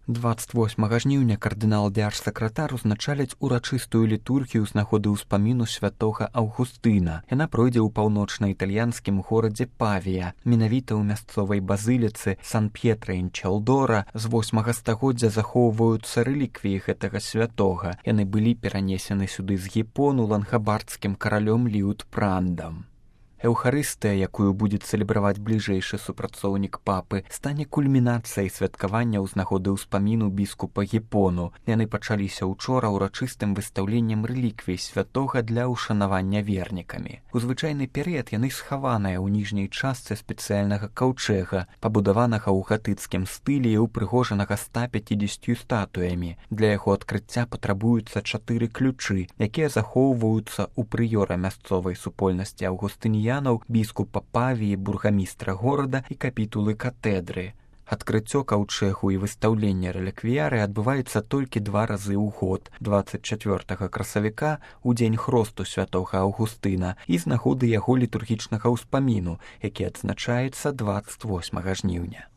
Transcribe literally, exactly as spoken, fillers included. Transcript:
дваццаць восьмага жніўня кардынал дзяржсакратар узначаліць урачыстую літургію з нагоды ўспаміну святога Аўгустына. Яна пройдзе ў паўночна-італьянскім горадзе Павія, менавіта ў мясцовай базыліцы Сан-П'етра-ін-Чалдора. З восьмага стагоддзя захоўваюцца рэліквіі гэтага святога. Яны былі перанесены сюды з Гіпону лангабардскім каралём Ліутпрандам. Эўхарыстыя, якую будзе цэлебраваць бліжэйшы супрацоўнік папы, стане кульмінацыяй святкавання ў нагоды ўспаміну біскупа Гіпону. Яны пачаліся ўчора ўрачыстым выстаўленнем рэліквій святога для ўшанавання вернікамі. У звычайны перыяд яны схаваныя ў ніжняй частцы спецыяльнага каўчэга, пабудаванага ў гатыцкім стылі і ўпрыгожанага ста пяцідзесяццю статуямі. Для яго адкрыцця патрабуюцца чатыры ключы, якія захоўваюцца ў прыёра мясцовай супольнасці аўгустыніян, біскупа Павіі, бургамістра горада і капітулы катэдры. Адкрыццё каўчэгу і выстаўленне рэліквіяры адбываецца толькі два разы ў год, дваццаць чацвёртага красавіка у дзень хросту святога Аўгустына і з нагоды яго літургічнага ўспаміну, які адзначаецца дваццаць восьмага жніўня.